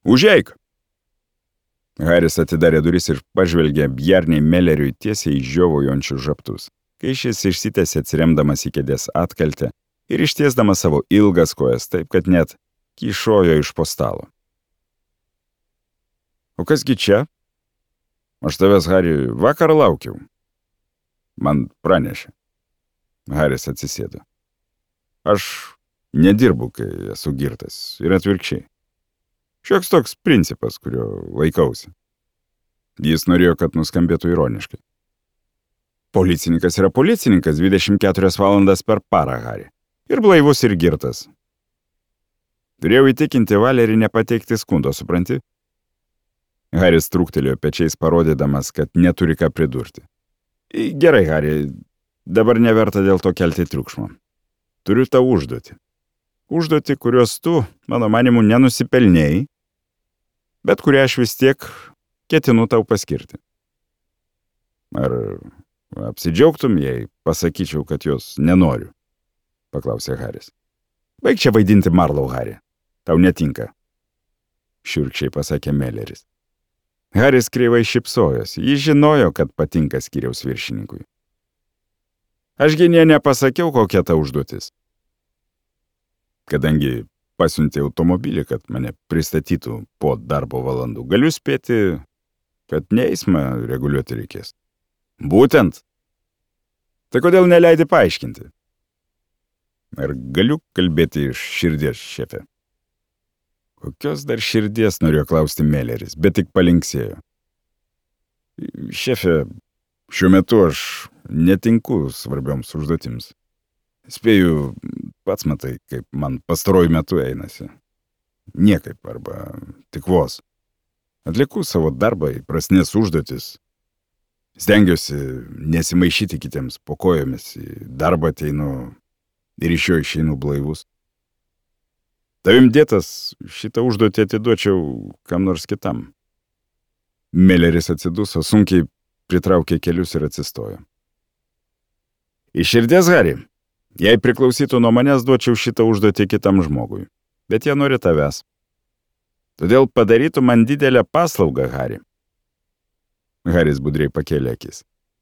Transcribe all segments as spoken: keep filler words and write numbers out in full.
Užeik! Haris atidarė duris ir pažvelgė Bjarniai Melleriui tiesiai į žiovojančius žabtus, kai šis išsitęsė atsiremdamas į kėdės atkaltę ir ištiesdamas savo ilgas kojas taip, kad net kyšojo iš po stalo. O kasgi čia? Aš tavęs, Hari, vakar laukiau. Man pranešė. Haris atsisėdo. Aš nedirbu, kai esu girtas, ir atvirkščiai. Šioks toks principas, kurio laikausi. Jis norėjo, kad nuskambėtų ironiškai. Policininkas yra policininkas dvidešimt keturias valandas per parą, Hari. Ir blaivus, ir girtas. Turėjau įtikinti Valerį nepateikti skundo, supranti? Haris trūktelėjo pečiais, parodydamas, kad neturi ką pridurti. Gerai, Hari, dabar neverta dėl to kelti triukšmo. Turiu tau užduotį. Užduotį, kurios tu, mano manimu, nenusipelnėjai, bet kurią aš vis tiek ketinu tau paskirti. Ar apsidžiaugtum, jei pasakyčiau, kad jos nenoriu? Paklausė Haris. Baik čia vaidinti Marlau, Hari. Tau netinka. Šiurkščiai pasakė Melleris. Haris kreivai šypsojosi. Jis žinojo, kad patinka skyriaus viršininkui. Ašgi nė nepasakiau, kokia ta užduotis. Kadangi pasiuntė automobilį, kad mane pristatytų po darbo valandų, galiu spėti, kad ne eismą reguliuoti reikės. Būtent. Tai kodėl neleidi paaiškinti? Ar galiu kalbėti iš širdies, šefe? Kokios dar širdies, norėjo klausti Melleris, bet tik palinksėjo. Šefe, šiuo metu aš netinku svarbioms užduotims. Spėju, pats matai, kaip man pastaruoju metu einasi. Niekaip, arba tik vos. Atliku savo darbą, įprastinės užduotis. Stengiuosi nesimaišyti kitiems po kojomis, į darbą ateinu ir iš jo išeinu blaivus. Tavim dėtas šitą užduotį atiduočiau kam nors kitam. Melleris atsiduso, sunkiai pritraukė kelius ir atsistojo. Iš širdies, Hari, jei priklausytų nuo manęs, duočiau šitą užduotį kitam žmogui, bet jie nori tavęs. Todėl padarytų man didelę paslaugą, Hari. Haris budriai pakėlė akis.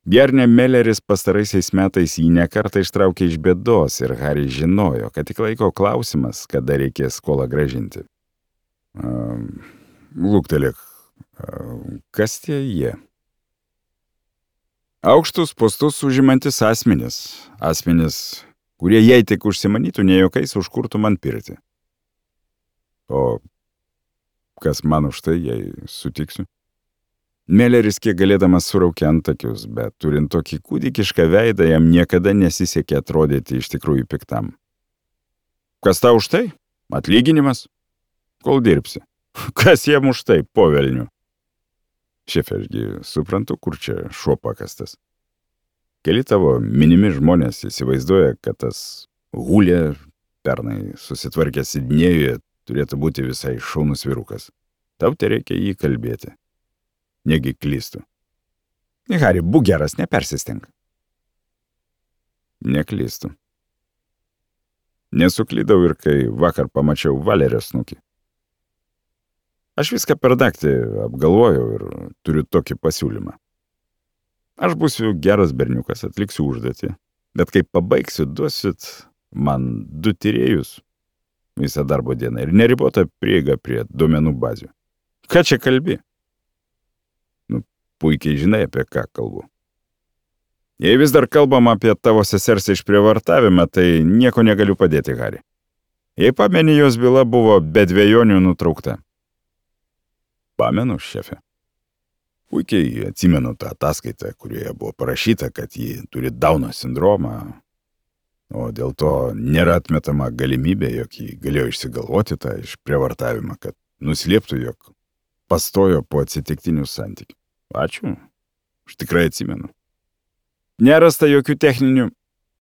Bjarne Melleris pastaraisiais metais jį nekartą ištraukė iš bėdos ir Haris žinojo, kad tik laiko klausimas, kada reikės skolą gražinti. Um, Lūktelėk, um, kas tie jie? Aukštus postus užimantis asmenis, asmenis, kurie jei tik užsimanytų nejokais užkurtų man pirti. O kas man už tai, jei sutiksiu? Melleris kiek galėdamas suraukė antakius, bet turint tokį kūdikišką veidą, jam niekada nesisekė atrodyti iš tikrųjų piktam. Kas tau už tai? Atlyginimas? Kol dirbsi. Kas jam už tai, po velnių? Šefe, ašgi suprantu, kur čia šuo pakastas. Keli tavo minimi žmonės įsivaizduoja, kad tas Hulė, pernai susitvarkęs Sidnėjuje, turėtų būti visai šaunus vyrukas. Tau te reikia jį kalbėti. Negi klystu. Hari, būk geras, nepersisteng. Neklystu. Nesuklydau ir kai vakar pamačiau Valerio snukį. Aš viską per naktį apgalvojau ir turiu tokį pasiūlymą. Aš būsiu geras berniukas, atliksiu užduotį, bet kai pabaigsiu, duosit man du tyrėjus visą darbo dieną ir neribotą prieigą prie duomenų bazių. Ką čia kalbi? Puikiai žinai, apie ką kalbu. Jei vis dar kalbam apie tavo sesers išprievartavimą, tai nieko negaliu padėti, Hari. Jei pameni, jos byla buvo be dvejonių nutraukta. Pamenu, šefe. Puikiai atsimenu tą ataskaitą, kurioje buvo parašyta, kad ji turi Dauno sindromą, o dėl to nėra atmetama galimybė, jog ji galėjo išsigalvoti tą išprievartavimą, kad nuslėptų, jog pastojo po atsitiktinių santykių. Ačiū, aš tikrai atsimenu. Nerasta jokių techninių,